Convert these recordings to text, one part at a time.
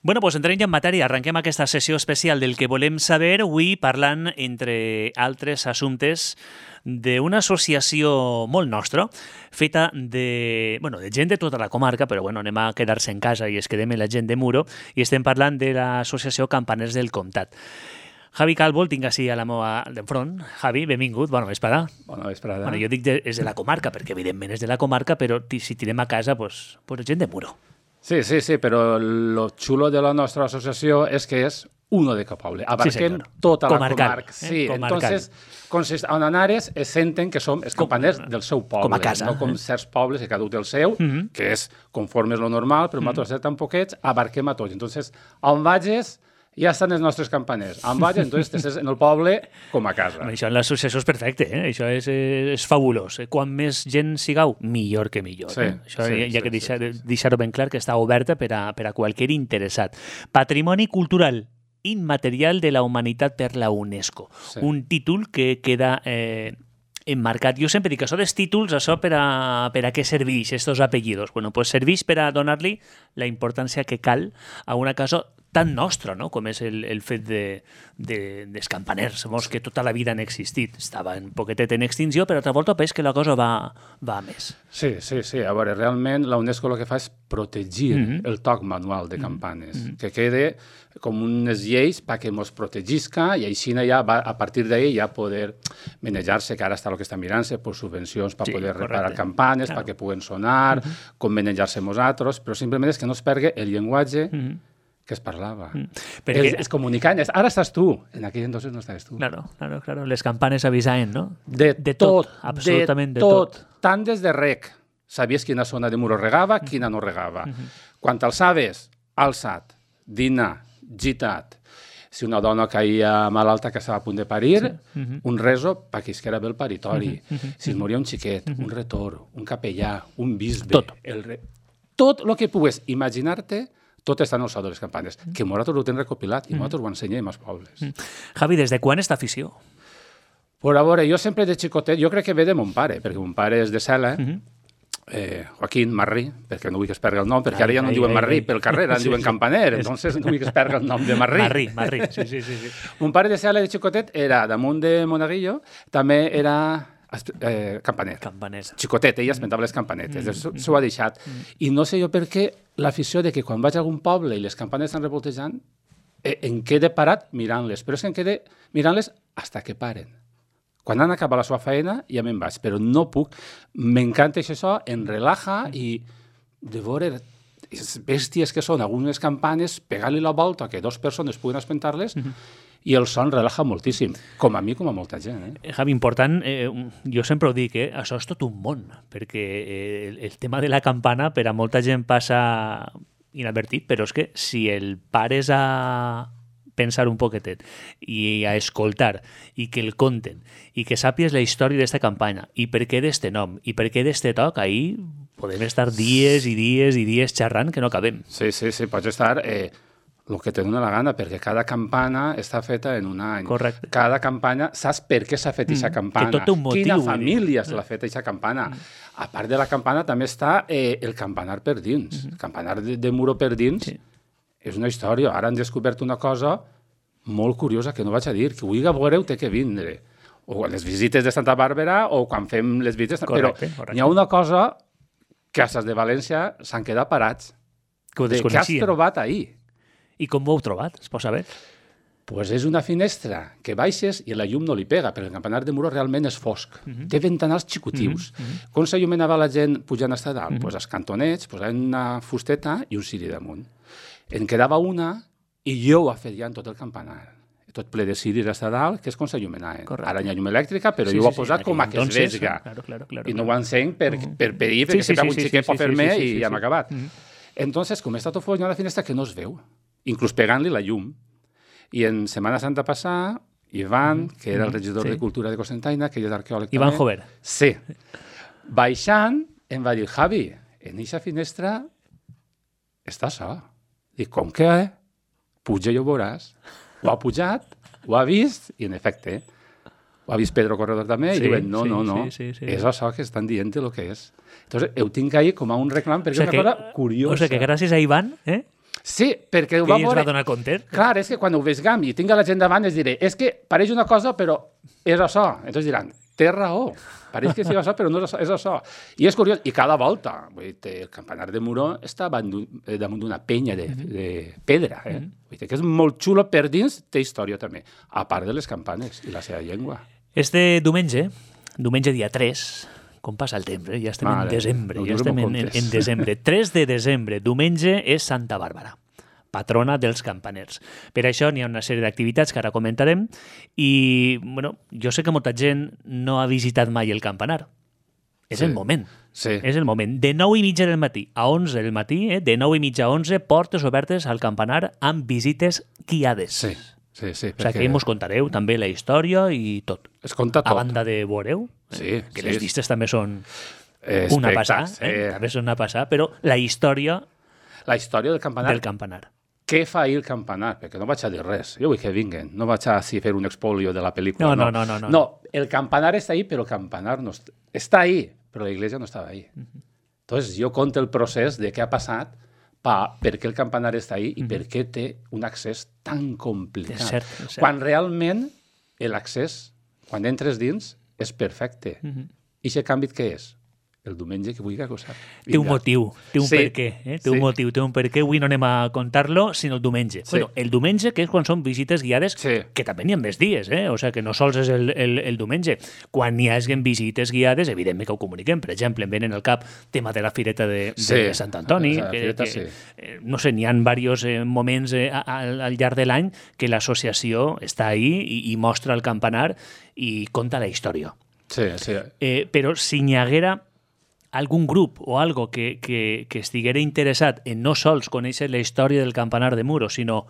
Bueno, doncs entrem ja en matèria. Arrenquem aquesta sessió especial del que volem saber, avui parlant, entre altres assumptes, d'una associació molt nostra, feta de gent de tota la comarca, però anem a quedar-se en casa i es quedem amb la gent de Muro, i estem parlant de l'associació Campaners del Comtat. Javi Calvo el tinc així a la meva d'enfront. Javi, benvingut, bona vesprada. Bona vesprada. Jo dic és de la comarca, perquè evidentment és de la comarca, però si tirem a casa, doncs gent de Muro. Sí, pero lo chulo de la nuestra asociación es que es uno de cada poble. Abarquem tota la comarca. Sí, entonces, en Anares es senten que som els campaners del seu poble. Com a casa. No com certs pobles que cada un té el seu, que és conforme és lo normal, però nosaltres tan poquets, abarquem a tots. Entonces, on vages, ja estan els nostres campaners. On vages, entonces t'estàs en el poble com a casa. Això en l'associació és perfecte, això és fabulós. Quan més gent sigueu, millor que millor. Sí, això hi ha que deixar-ho ben clar, que està oberta per a qualsevol interessat. Patrimoni cultural immaterial de la humanitat per la UNESCO. Sí. Un títol que queda emmarcat. Jo sempre dic que això dels títols, això per a què serveix, estos apellidos? Pues serveix per a donar-li la importància que cal a una cosa tan nostra, no? Com és el fet dels campaners, que tota la vida han existit. Estava un poquetet en extinció, però altra volta veig que la cosa va a més. Sí. A veure, realment la UNESCO el que fa és protegir el toc manual de campanes, que quede com unes lleis perquè ens protegisca i així ja va, a partir d'ahí ja poder manejar-se, que ara està el que està mirant-se, per subvencions per poder reparar campanes, perquè puguen sonar, com manejar-se nosaltres, però simplement és que no es perdi el llenguatge que es parlava. Es comunicant. Ara estàs tu. En aquell entonces no estaves tu. Claro. Les campanes avisaven, no? De tot. Absolutament de tot. Tant des de rec. Sabies quina zona de Muro regava, quina no regava. Quan alçaves, alçat, dinar, gitat. Si una dona caia malalta que estava a punt de parir, un reso perquè isquera bé el paritori. Si es moria un xiquet, un retor, un capellà, un bisbe... Tot el que pugues imaginar-te, tot està en el so de les campanes, que nosaltres ho tenim recopilat i nosaltres ho ensenyem als pobles. Javi, des de quan està afició? Però a veure, jo sempre de xicotet, jo crec que ve de mon pare, perquè mon pare és de Cela, Joaquín Marrí, perquè no vull que es perdi el nom, perquè ara ja no diuen Marrí pel carrer, ara diuen Campaner, entonces no vull que es perdi el nom de Marrí. Marrí, sí. Mon pare de Cela de xicotet era damunt de Monaguillo, també era campaner. Xicotet, ella esmentava les campanetes, s'ho ha deixat. I no sé jo per què l'afició de que quan vaig a algun poble i les campanes estan revoltejant, em quede parat mirant-les, però és que em quede mirant-les fins que paren. Quan han acabat la seva feina ja me'n vaig, però no puc. M'encanta això, em relaja i de veure bèsties que són algunes campanes, pegar-li la volta que dues persones puguen espentar-les i el son relaja moltíssim, com a mi com a molta gent. Javi, important, jo sempre ho dic, això és tot un món, perquè el tema de la campana per a molta gent passa inadvertit, però és que si el pares a pensar un poquetet i a escoltar i que el conten i que sàpies la història d'esta campanya i per què d'este nom i per què d'este toc, ahí podem estar dies i dies i dies xerrant que no acabem. Sí, pots estar el que te dona la gana, perquè cada campana està feta en un any. Correcte. Cada campanya, saps per què s'ha fet aquesta campana? Que tot té un motiu. Quina família l'ha fet aquesta campana? A part de la campana també està el campanar per dins. El campanar de Muro per dins és una història. Ara han descobert una cosa molt curiosa que no vaig a dir, que avui a veure té que vindre. O les visites de Santa Bàrbara o quan fem les visites... Correcte. Però hi ha una cosa que a les de València s'han quedat parats. Que ho desconeixien. Què has trobat ahir? I com ho heu trobat? Es pot saber? Pues és una finestra que baixes i la llum no li pega, perquè el campanar de Muro realment és fosc. Té ventanals xicutius. Com s'il·luminava la gent pujant a dalt? Pues els cantonets posaven una fusteta i un ciri damunt. En quedava una i jo ho ha fet ja en tot el campanar. Tot ple de ciris a dalt, que és com s'il·luminaven. Ara hi ha llum elèctrica, però jo ho he posat com a que es vega. I no ho encenc per perir, perquè sempre un xiquet pot fer-me i ja m'ha acabat. Entonces, com està tot fosc, hi ha una finestra que no es veu, inclús pegant-li la llum. I en Setmana Santa passada, Ivan, que era el regidor de Cultura de Cocentaina, que ell és arqueòleg també. Ivan Jover. Sí. Baixant, em va dir, Javi, en eixa finestra està so. Dic, com que? Puja i ho veuràs. Ho ha pujat, ho ha vist, i en efecte, ho ha vist Pedro Corredor també, i diuen, no, és això que estan dient el que és. Entonces, ho tinc ahí com a un reclam, perquè és una cosa curiosa. O sigui que gràcies a Ivan, Sí, perquè ho Que va ell es veure... va donar compte. Clar, és que quan ho vegam i tinc la gent davant, es diré, és que pareix una cosa, però és això. Entonces diran, té raó, pareix que és això, però no és això, és això. I és curiós, i cada volta, vull dir, el campanar de Muro està damunt d'una penya de pedra, Vull dir que és molt xulo per dins, té història també, a part de les campanes i la seva llengua. Este diumenge dia 3, com passa el temps, ja estem en desembre, ja estem en desembre. 3 de desembre, diumenge, és Santa Bàrbara, patrona dels campaners. Per això n'hi ha una sèrie d'activitats que ara comentarem i, bueno, jo sé que molta gent no ha visitat mai el campanar. És el moment. Sí. És el moment. De 9:30 del matí a 11 del matí, de 9:30 a 11, portes obertes al campanar amb visites guiades. Sí. Sí, O sigui, que mos contareu també la història i tot. Es conta tot. A banda de veureu, que les vistes també són una passada, també són una passada, però la història del campanar. Del campanar. Què fa ahir el campanar? Perquè no vaig a dir res. Jo vull que vinguen. No vaig a fer un expolio de la pel·lícula. No, el campanar està ahí, però el campanar no està ahí, però la iglesia no estava ahí. Entonces, jo conto el procés de què ha passat, per què el campanar està ahí i per què té un accés tan complicat. És cert. Quan realment l'accés, quan entres dins, és perfecte. I aquest canvi què és? El diumenge que vull que ho sap. Té un motiu, té un per què. Té un motiu, té un per què. Avui no anem a contar-lo, sinó el diumenge. Sí. Bueno, el diumenge, que és quan són visites guiades, que també n'hi ha més dies, O sigui, que no sols és el diumenge. Quan n'hi hagin visites guiades, evidentment que ho comuniquem. Per exemple, em venen al cap tema de la Fireta de Sant Antoni. No sé, n'hi ha diversos moments al llarg de l'any que l'associació està ahí i mostra el campanar i conta la història. Sí. Però si n'hi haguera algun grup o algo que estiguera interessat en no sols conèixer la història del campanar de Muro, sinó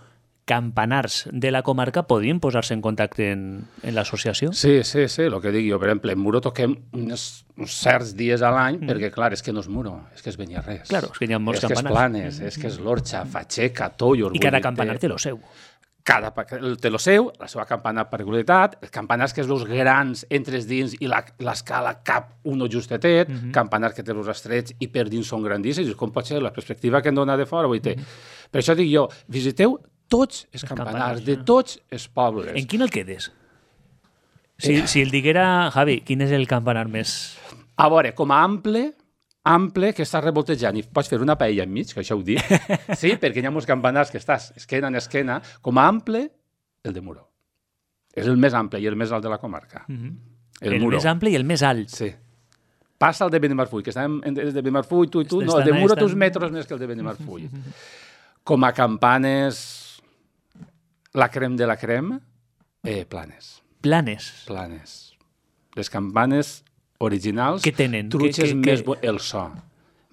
campanars de la comarca, podien posar-se en contacte en l'associació? Sí, el que dic jo. Per exemple, en Muro toquem uns certs dies a l'any, perquè, clar, és que no és Muro, és que és Beniarrés. Claro, és que hi ha molts campanars. És que és Planes, és que és l'Orxa, Fatxeca, Tollor... I cada campanar té lo seu. Té lo seu, la seva campana per regularitat, els campanars que és els grans entres dins i l'escala cap uno justetet, campanars que té els estrets i per dins són grandíssims, com pot ser la perspectiva que em dona de fora, vull dir. Per això dic jo, visiteu tots els campanars de tots els pobles. En quin el quedes? Si el diguera, Javi, quin és el campanar més... A veure, com a ample, que estàs revoltejant i pots fer una paella enmig, que això ho dic, sí, perquè hi ha molts campanars que estàs esquena en esquena, com a ample, el de Muro. És el més ample i el més alt de la comarca. El més ample i el més alt. Sí. Passa el de Benimarfull, que estàvem des de Benimarfull, tu i tu, no, el de Muro té uns metres més que el de Benimarfull. Com a campanes, la crem de la crem, Planes. Planes. Les campanes originals, què tenen? Truches més... El so.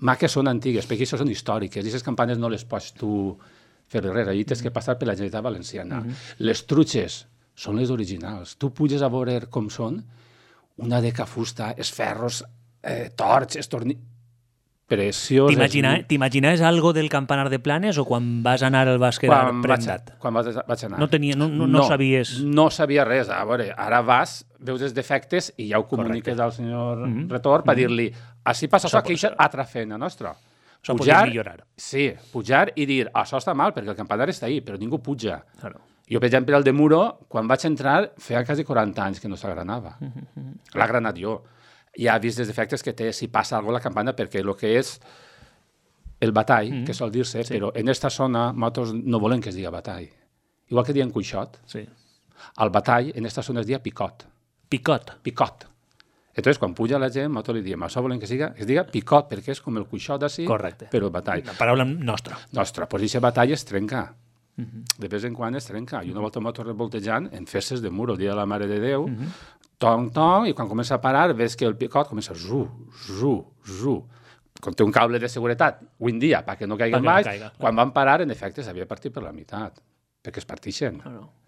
Maques són antigues, perquè això són històriques, i aquestes campanes no les pots tu fer res, allà tens que passar per la Generalitat Valenciana. Les truches són les originals. Tu puges a veure com són, una de fusta, els ferros, torts, estornills... Preciós. T'imaginaves algo del campanar de Planes o quan vas anar el vas quedar prendat? Quan vaig anar. No sabies... No sabia res. A veure, ara vas, veus els defectes i ja ho comuniques al senyor Retor per dir-li, així passa això, que això és altra feina nostra. Això podria millorar. Sí, pujar i dir, això està mal, perquè el campanar està ahí, però ningú puja. Claro. Jo, per exemple, el de Muro, quan vaig entrar, feia quasi 40 anys que no s'agranava. L'ha granat jo. Ja ha vist els defectes que té si passa alguna cosa a la campana, perquè el que és el batall, que sol dir-se, però en aquesta zona nosaltres no volem que es digui batall. Igual que diem cuixot, el batall en aquesta zona es dia picot. Picot. Entonces, quan puja la gent, nosaltres li diem, això volem que es diga picot, perquè és com el cuixot així, però el batall. La paraula nostra. Nostra. Pues aquest batall es trenca. De vez en quan es trenca. I una volta nosaltres revoltejant en festes de Muro, el dia de la Mare de Déu, tong, i quan comença a parar, ves que el picot comença zu. Quan té un cable de seguretat, un dia, perquè no caigui baix, quan van parar, en efecte, s'havia partit per la meitat, perquè es partixen.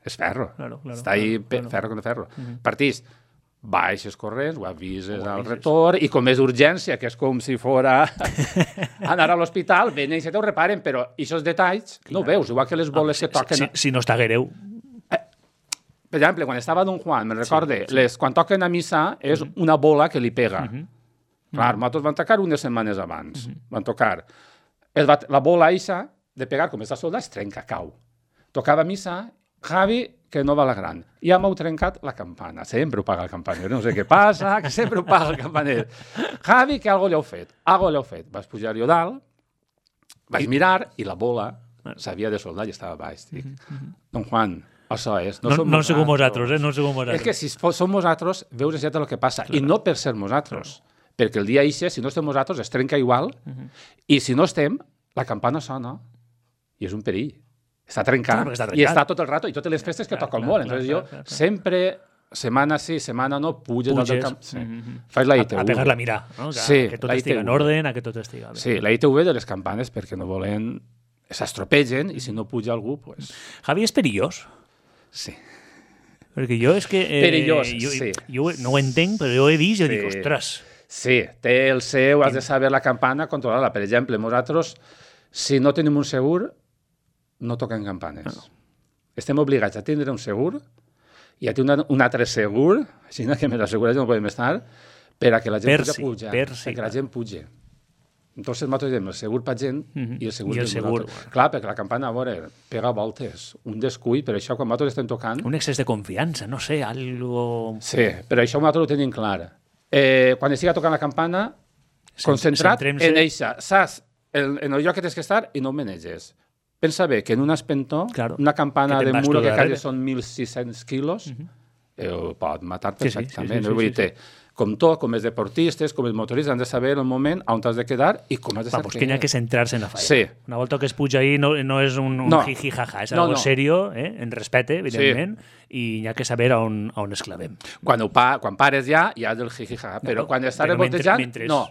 És ferro. Està ahí ferro con ferro. Partís, baixes corrents, ho avises al Retor, i com és urgència, que és com si fora anar a l'hospital, venen i se t'ho reparen, però aquests detalls no ho veus, igual que les boles que toquen... Si no està greu... Per exemple, quan estava Don Juan, me'n recorde, quan toquen a missa és una bola que li pega. Clar, nosaltres van tocar unes setmanes abans. Van tocar. La bola eixa de pegar, com està soldat, es trenca, cau. Tocava missa, Javi, que no va la gran. Ja m'heu trencat la campana. Sempre ho paga el campaner. No sé què passa, que sempre ho paga el campaner. Javi, que algo li heu fet. Algo li heu fet. Vas pujar jo dalt, vaig mirar i la bola s'havia de soldar i estava baix. Dic, Don Juan, això és. No som vosaltres, no som vosaltres. És que si som vosaltres, veus ja el que passa. I no per ser vosaltres. Perquè el dia eixe, si no estem vosaltres, es trenca igual. I si no estem, la campana sona i és un perill. Està trencat i està tot el rato i totes les festes que toca el molt. Entonces jo sempre, setmana sí, setmana no, puges dalt del camp. Faig la ITV. A pegar-la a mirar, no? Que tot estigui en ordre, que tot estigui bé. Sí, la ITV de les campanes perquè no volen... s'estropegen i si no puja algú, pues... Javi, és perillós? Sí. Perquè jo és que... Perillós, sí. Jo no ho entenc, però jo he vist i dic, ostres... Sí, té el seu, has de saber la campana, controlar-la. Per exemple, nosaltres, si no tenim un segur, no toquem campanes. No. Estem obligats a tindre un segur i a tenir un altre segur, així que més assegurats no podem estar, per a que la gent pugui pujar, perquè la gent pugi. Entonces nosaltres diem el segur per gent i el segur per nosaltres. Clar, perquè la campana, a veure, pega voltes, un descuit, per això quan nosaltres estem tocant... Un excés de confiança, no sé, algo... Sí, però això nosaltres ho tenim clar. Quan estiga tocant la campana, concentrat en eixa, saps en el lloc que tens que estar i no ho maneges. Pensa bé que en un espentó, una campana de muro que quasi són 1.600 quilos, pot matar perfectament. Vull dir, com tot, com els deportistes, com els motoristes, han de saber el moment on t'has de quedar i com has de saber. Que hi ha que centrar-se en la feina. Sí. Una volta que es puja ahí no és un jiji-jaja, és algo serio, en respecte, evidentment, i hi ha que saber on es clavem. Quan pares ja has del jiji-jaja, però quan estàs revoltejant, no.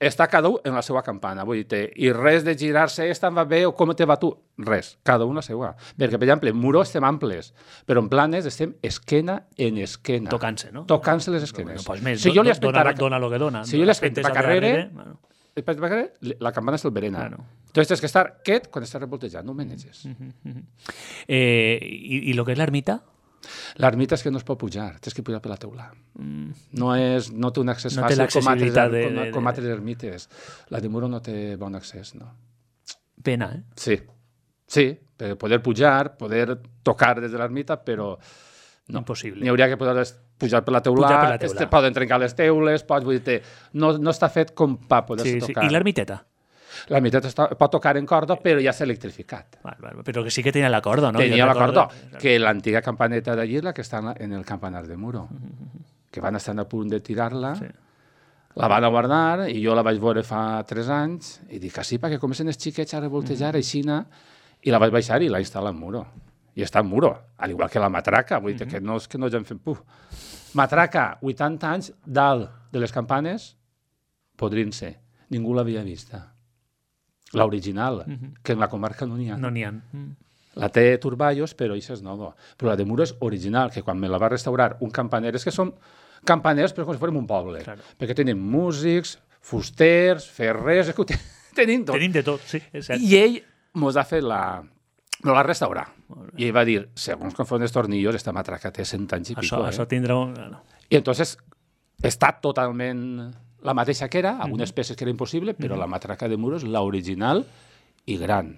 Està cada un en la seva campana, vull dir, i res de girar-se, esta em va bé o com te va tu, res, cada un la seva. Perquè, per exemple, en muro estem amples, però en planes estem esquena en esquena. Tocant-se, no? Tocant-se les esquenes. Pues més, si jo li dona lo que dona. Si jo li espento pa carrere, la campana se'l verena. Entonces tens que estar quiet quan estàs revoltejant, no ho maneges. I lo que és l'ermita? L'ermita és que no es pot pujar, tens que pujar per la teula. No té un accés fàcil com altres ermites. La de muro no té bon accés, no. Pena, Sí, per poder pujar, poder tocar des de l'ermita, però no. Impossible. N'hi hauria que poder pujar per la teula, poden trencar les teules, no està fet com per poder-se tocar. I l'ermiteta? L'ermiteta pot tocar en corda, però ja s'ha electrificat. Però que sí que tenia la corda, no? Tenia la corda, que l'antiga campaneta d'allí és la que està en el campanar de muro, que van estar a punt de tirar-la, la van a guardar, i jo la vaig veure fa 3 anys, i dic, sí, perquè comencen els xiquets a revoltejar, aixina, i la vaig baixar i la instal·la en muro. I està en muro, al igual que la matraca, vull dir que no és que no hagin fet puf. Matraca, 80 anys, dalt de les campanes, podrien ser. Ningú l'havia vista. L'original, que en la comarca no n'hi ha. No n'hi ha. La té Turballos, però això és nova. Però la de muro és original, que quan me la va restaurar un campaner, és que són campaners però com si fórem un poble. Perquè tenim músics, fusters, ferrers, tenim tot. Tenim de tot, sí, és cert. I ell mos ha fet no la restaurar. I ell va dir, segons com foren els tornillos, esta matraca té 100 anys i pico. Això tindrà un... I entonces està totalment la mateixa que era, algunes peces que era impossible, però la matraca de muro és l'original i gran.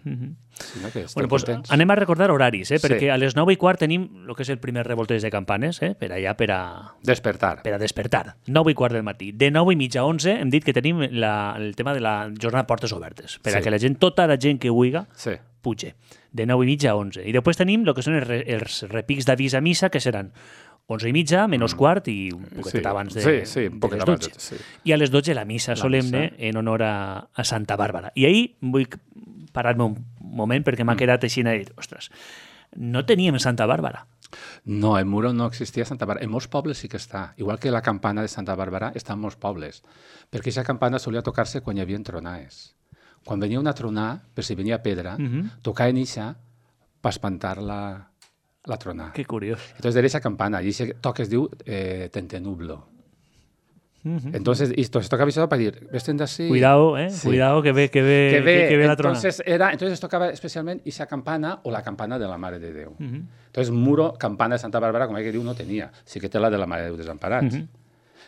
Anem a recordar horaris, perquè a les 9:15 tenim el que és el primer revolteig de campanes, per allà per a... Despertar. Per a despertar. 9:15 del matí. De 9:30 a 11 hem dit que tenim el tema de la jornada portes obertes, per a que la gent, tota la gent que vulgui, puge. De 9:30 a 11. I després tenim el que són els repics d'avís a missa, que seran 11:30, menys quart i un poquet abans de les 12. I a les 12 la missa solemne en honor a Santa Bàrbara. I ahir vull parar-me un moment perquè m'ha quedat així a dir, ostres, no teníem Santa Bàrbara. No, en Muro no existia Santa Bàrbara. En molts pobles sí que està. Igual que la campana de Santa Bàrbara està en molts pobles. Perquè aquesta campana solia tocar-se quan hi havia tronades. Quan venia una tronada, per si venia pedra, tocaven ixa per espantar la tronada. Que curiós. Entonces, de esa campana, y ese toque es de tentenublo. Entonces tocaba avisado para decir, vesten así. Cuidado, sí. Cuidado que ve la tronada. Entonces tocaba especialmente esa campana o la campana de la Mare de Déu. Entonces, Muro, campana de Santa Bàrbara, com que diu, no tenia. Sí que té la de la Mare de Déu Desemparats.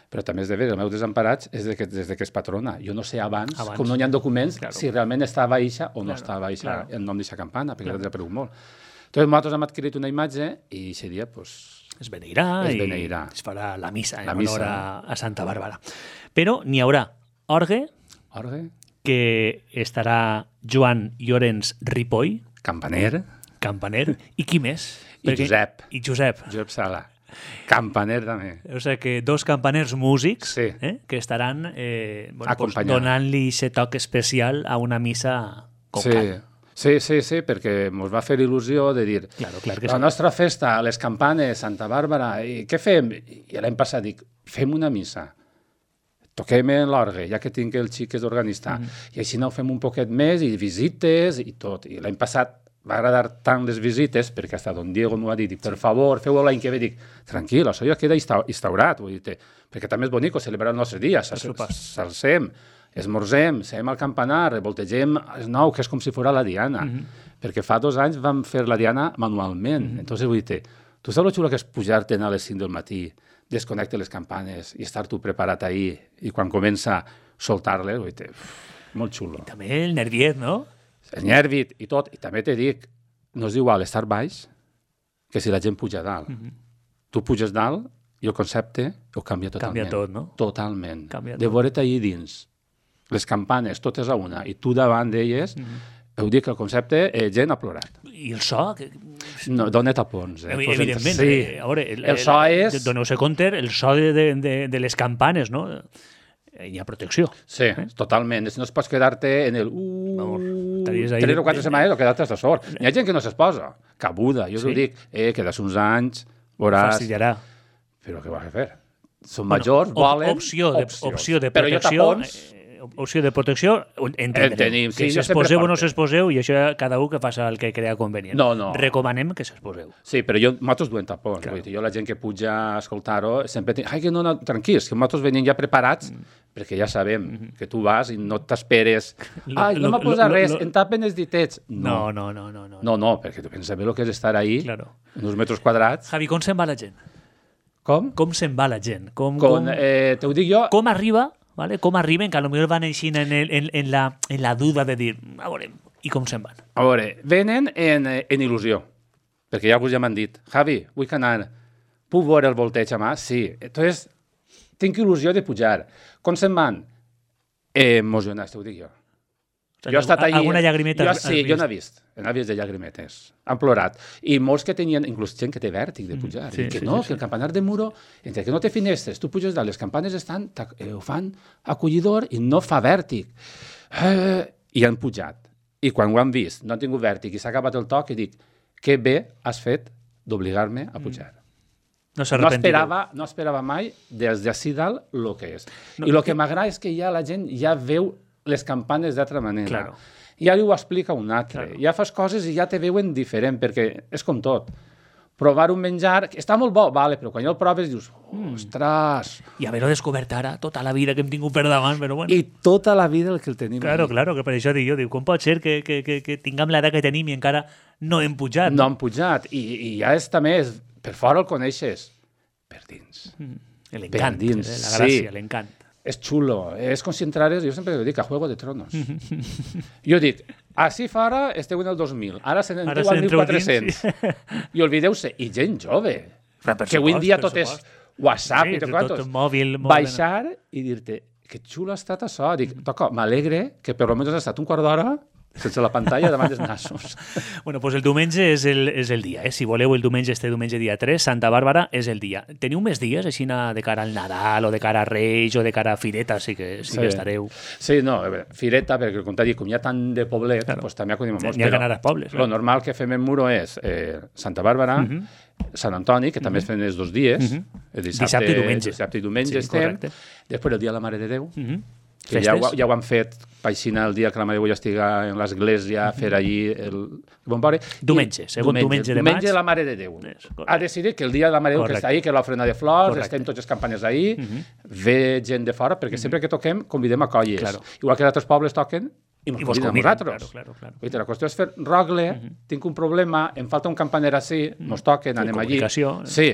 Però també és de veure, el meu desemparat és des que es patrona. Jo no sé abans, com no hi ha documents, si realment estava eixa o no estava eixa el nom d'eixa campana, perquè l'he desaparegut molt. Entonces, nosaltres hem adquirit una imatge i aquest dia, pues, es beneirà i es farà la missa en honor a Santa Bàrbara. Però n'hi haurà orgue, que estarà Joan Llorenç Ripoll, campaner, i qui més? I Josep. I Josep Sala. Campaner també. O sigui que dos campaners músics que estaran donant-li aquest toc especial a una missa com cal. Sí, perquè ens va fer il·lusió de dir la nostra festa, les campanes, Santa Bàrbara, i què fem? I l'any passat dic, fem una missa, toquem l'orgue, ja que tinc el xic que és organista, i així no fem un poquet més, i visites i tot. I l'any passat va agradar tant les visites, perquè hasta don Diego m'ho va dir, per favor, feu-ho l'any que ve, dic, tranquil, això ja queda instaurat, perquè també és bonic celebrar el nostre dia, s'alcem, esmorzem, seguem al campanar, revoltegem el nou, que és com si fos la diana, perquè fa 2 anys vam fer la diana manualment. Entonces, vull dir, tu saps lo xulo que és pujar-te a les 5 del matí, desconnectar les campanes i estar tu preparat ahí, i quan comença a soltar-les, vull dir, molt xulo. I també el nerviet, no? El nervit i tot, i també te dic, no és igual estar baix que si la gent puja dalt. Tu puges dalt i el concepte ho canvia totalment. Canvia tot, no? Totalment. De veure't allà dins, les campanes totes a una, i tu davant d'elles, heu dit que el concepte, gent ha plorat. I el so? No, dona tapons. Evidentment. Sí. El so és... Doneu-se compte, el so de les campanes, no? Hi ha protecció. Sí, totalment. No es pots quedar-te en el 3 o 4 setmanes o quedar-te a sort. Hi ha gent que no s'exposa. Cabuda. Jo us ho dic, quedes uns anys, veuràs... Fastidiarà. Però què vas a fer? Són majors, volen... Opció de protecció... Opció de protecció, entendrem. Que s'exposeu o no s'exposeu, i això cada un que faci el que crea convenient. No. Recomanem que s'exposeu. Sí, però nosaltres duem tapons. Jo la gent que puja a escoltar-ho sempre dic, que no, tranquils, que nosaltres venim ja preparats, perquè ja sabem que tu vas i no t'esperes. No m'ha posat res, em tapen els ditets. No. No, perquè tu penses bé el que és estar ahí, en uns metres quadrats. Javi, com se'n va la gent? Com? Com se'n va la gent? Te ho dic jo... Com arriba... ¿Vale? Com arriben, que potser van així en la duda de dir, a veure, i com se'n van? A veure, venen en il·lusió, perquè ja m'han dit, Javi, vull anar, puc veure el volteig a mà? Sí. Entonces, tinc il·lusió de pujar. Com se'n van? Emocionats, t'ho dic jo. Jo he estat allà... Alguna llagrimeta has vist? Sí, jo n'he vist de llagrimetes. Han plorat. I molts que tenien, inclús gent que té vèrtic de pujar. Que el campanar de Muro, entre que no té finestres, tu puges dalt, les campanes ho fan acollidor i no fa vèrtic. I han pujat. I quan ho han vist, no han tingut vèrtic i s'ha acabat el toc, i dic, que bé has fet d'obligar-me a pujar. No esperava mai des d'ací dalt el que és. I el que m'agrada és que ja la gent ja veu les campanes d'altra manera. Claro. Ja li ho explica un altre. Claro. Ja fas coses i ja te veuen diferent, perquè és com tot. Provar un menjar, està molt bo, vale, però quan ja el proves dius, ostres... I haver-ho descobert ara, tota la vida que hem tingut per davant, però bueno... I tota la vida el que el tenim. Claro, que per això dic jo, com pot ser que tinguem l'edat que tenim i encara no hem pujat? No hem pujat, i ja és també, per fora el coneixes, per dins. L'encant, la gràcia, l'encant. És xulo, és com si entrares, jo sempre dic, a Juego de Tronos. Jo dic, així fora esteu en el 2000, ara se n'entreu al 1400. I oblideu-se, i gent jove, que avui en dia tot és WhatsApp i tot mòbil. Baixar i dir-te, que xulo ha estat això. Dic, toca, m'alegre que per almenys has estat un quart d'hora sense la pantalla davant dels nassos. Bueno, doncs el diumenge és el dia. Si voleu el diumenge, diumenge dia 3, Santa Bàrbara és el dia. Teniu més dies, així de cara al Nadal, o de cara a Reis, o de cara a Fireta, sí que estareu. Sí, no, Fireta, perquè com t'ha dit, com hi ha tant de poblet, doncs també acudim molts. N'hi ha que anar als pobles. Lo normal que fem en Muro és Santa Bàrbara, Sant Antoni, que també es fan els 2 dies. Dissabte i diumenge estem. Després el dia de la Mare de Déu, que ja ho han fet paixina el dia que la Mare de Déu ja estiga en l'església, fer allí el bon veure. Diumenge, segon diumenge de maig. Diumenge de la Mare de Déu. Ha decidit que el dia de la Mare de Déu que està ahí, que l'ofrena de flors, estem tots els campanes ahí, ve gent de fora, perquè sempre que toquem convidem a colles. Igual que d'altres pobles toquen, i mos conviden a nosaltres. Claro. La qüestió és fer rogle, tinc un problema, em falta un campaner així, mos toquen, anem allí. Sí.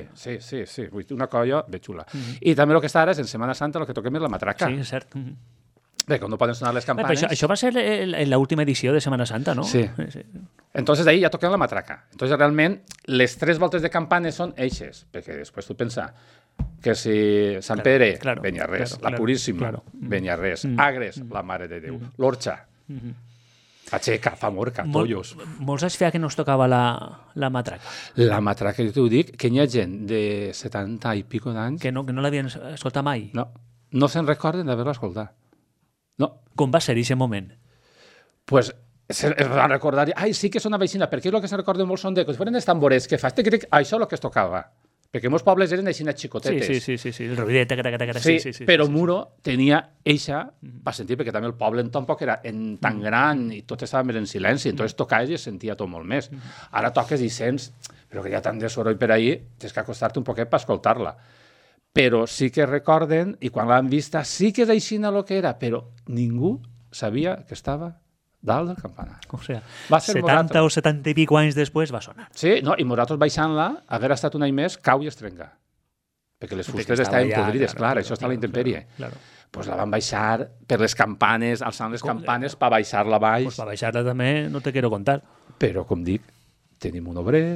Vull dir, una colla ben xula. I també el que està ara és, en Setmana Santa, el que toquem és la matraca. Sí, és cert. Bé, com no poden sonar les campanes... Això va ser l'última edició de Setmana Santa, no? Sí. Entonces ahí ja toquem la matraca. Entonces realment les 3 voltes de campanes són eixes, perquè després tu pensa que si Sant Pere, Beniarrés, la Puríssima, Beniarrés, Agres, la Mare de Déu, l'Orxa, Aixeca, Famorca, Tollos. Molts anys feia que no es tocava la matraca. La matraca, jo t'ho dic, que hi ha gent de 70 i pico d'anys... Que no l'havien escoltat mai. No se'n recorden d'haver-la escoltat. No. Com va ser aquest moment? Pues es va recordar... Ai, sí que és una vecina, perquè el que se'n recorden molt són de... Que foren els tamborets que fas, això és el que es tocava. Perquè molts pobles eren així xicotetes. Sí, el ruidet, sí, però Muro tenia eixa per sentir, perquè també el poble tampoc era tan gran i tot estava més en silenci, entonces tocaves i es sentia tot molt més. Ara toques i sents, però que hi ha tant de soroll per ahí, tens que acostar-te un poquet per escoltar-la. Però sí que recorden, i quan l'han vista, sí que és així el que era, però ningú sabia que estava dalt del campanar. O sigui, 70 o 70 i pico anys després va sonar. Sí, no, i nosaltres baixant-la, haver estat un any més, cau i es trenca. Perquè les fustes estaven podrides, clar, això està a la intempèrie. Doncs la van baixar per les campanes, alçant les campanes per baixar-la baix. Doncs per baixar-la també no te quiero contar. Però, com dic, tenim un obrer...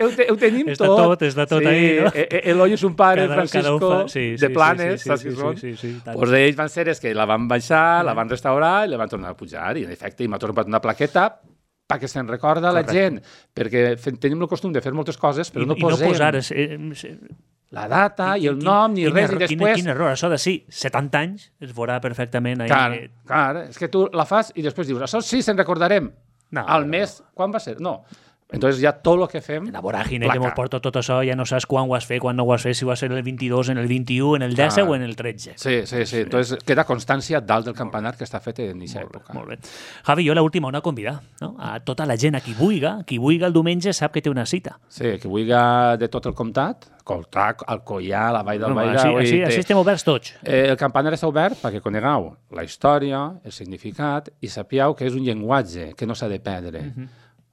Ho tenim tot. Està tot ahí, no? Eloi és un pare, Francisco, de Planes, saps qui són? Doncs ells van ser els que la van baixar, la van restaurar i la van tornar a pujar. I, en efecte, m'ha tornat una plaqueta perquè se'n recorda la gent, perquè tenim el costum de fer moltes coses, però no posem la data i el nom ni res, i després... Quin error, això de 70 anys es veurà perfectament. Clar, és que tu la fas i després dius, això sí, se'n recordarem. Al mes, quan va ser? No. Entonces ja tot el que fem... La voràgine que mos porta tot això, ja no saps quan ho has fet, quan no ho has fet, si va ser en el 22, en el 21, en el 10 o en el 13. Sí. Entonces queda constància dalt del campanar que està fet en aquesta època. Molt bé. Javi, jo l'última una convidar, no? A tota la gent, a qui vulga el diumenge sap que té una cita. Sí, qui vulga de tot el comtat, Coltac, Alcoià, la Vall del Bairà... Així estem oberts tots. El campanar està obert perquè conegueu la història, el significat, i sapieu que és un llenguatge que no s'ha de perdre.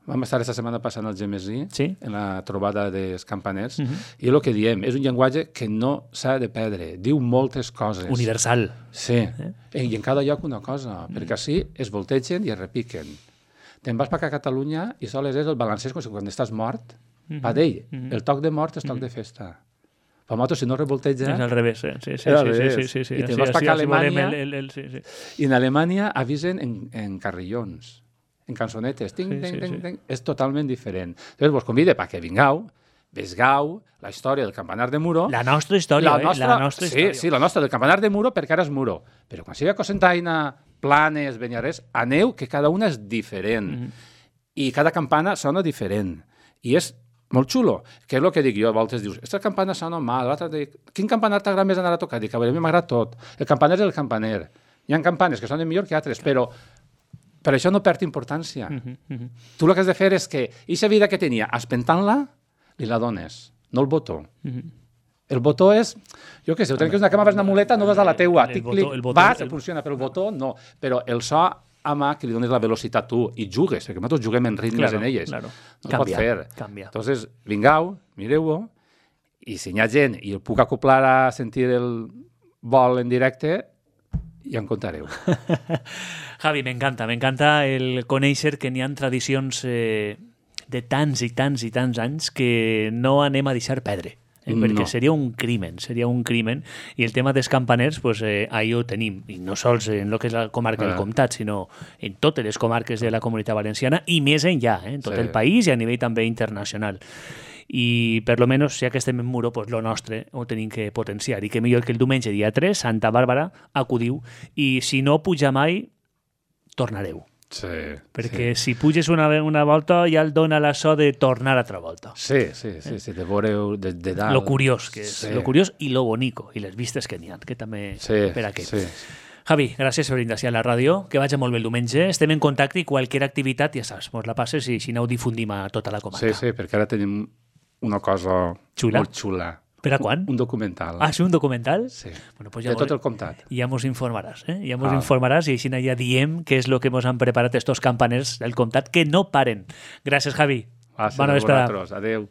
Vam estar aquesta setmana passant al Gemesí, en la trobada dels campaners, i el que diem, és un llenguatge que no s'ha de perdre. Diu moltes coses. Universal. Sí. I en cada lloc una cosa, perquè així es voltegen i es repiquen. Te'n vas a Catalunya i sols és el balancès quan estàs mort. Per d'ell, el toc de mort és toc de festa. Per nosaltres, si no revolteja... És al revés, sí. I te'n vas a Alemanya, i en Alemanya avisen en carrillons, en cançonetes, és totalment diferent. Llavors, vos convide perquè vingueu, vesgau la història del campanar de Muro. La nostra història, la nostra història. Sí, la nostra, del campanar de Muro, perquè ara és Muro. Però quan sigui a Cocentaina, Planes, Beniarrés, aneu, que cada una és diferent. I cada campana sona diferent. I és molt xulo, que és el que dic jo, a voltes dius, aquesta campana sona mal, l'altre dic, quin campanar t'agrada més anar a tocar? Dic, a mi m'agrada tot. El campaner és el campaner. Hi ha campanes que sonen millor que altres, però això no perd importància. Tu el que has de fer és que aquesta vida que tenia, espentant-la, li la dones, no el botó. El botó és, jo què sé, ho tens una cama, vas una muleta, no vas a la teua, vas, funciona, però el botó no. Però el so ama que li dones la velocitat tu i jugues, perquè nosaltres juguem en ritmes en elles. No es pot fer. Entonces, vingau, mireu-ho, i si hi ha gent i el puc acoplar a sentir el vol en directe, ja en contareu. Javi, m'encanta el conèixer que n'hi ha tradicions de tants i tants i tants anys que no anem a deixar perdre. Perquè seria un crimen, i el tema dels campaners, ahí ho tenim, i no sols en el que és la comarca del Comtat, sinó en totes les comarques de la Comunitat Valenciana, i més enllà, en tot el país i a nivell també internacional. I per lo menos, ja que estem en Muro, lo nostre ho tenim que potenciar, i que millor que el diumenge dia 3, Santa Bàrbara, acudiu, i si no puja mai, tornareu. Perquè si puges una volta ja el dona la so de tornar altra volta. Sí, de veureu de dalt. Lo curiós que és, lo curiós i lo bonico, i les vistes que n'hi ha, que també per aquí. Javi, gràcies per vindre a la ràdio, que vagi molt bé el diumenge, estem en contacte i qualsevol activitat, ja saps, mos la passes i si no ho difundim a tota la comarca. Sí, perquè ara tenim una cosa molt xula Per a quan? Un documental. Ah, sí, un documental? Sí, Bueno, pues de tot el comtat. Ja mos informaràs, eh? Ja mos informaràs i així ja diem què és el que mos han preparat estos campaners del comtat que no paren. Gràcies, Javi. Bona vesprada. Adéu.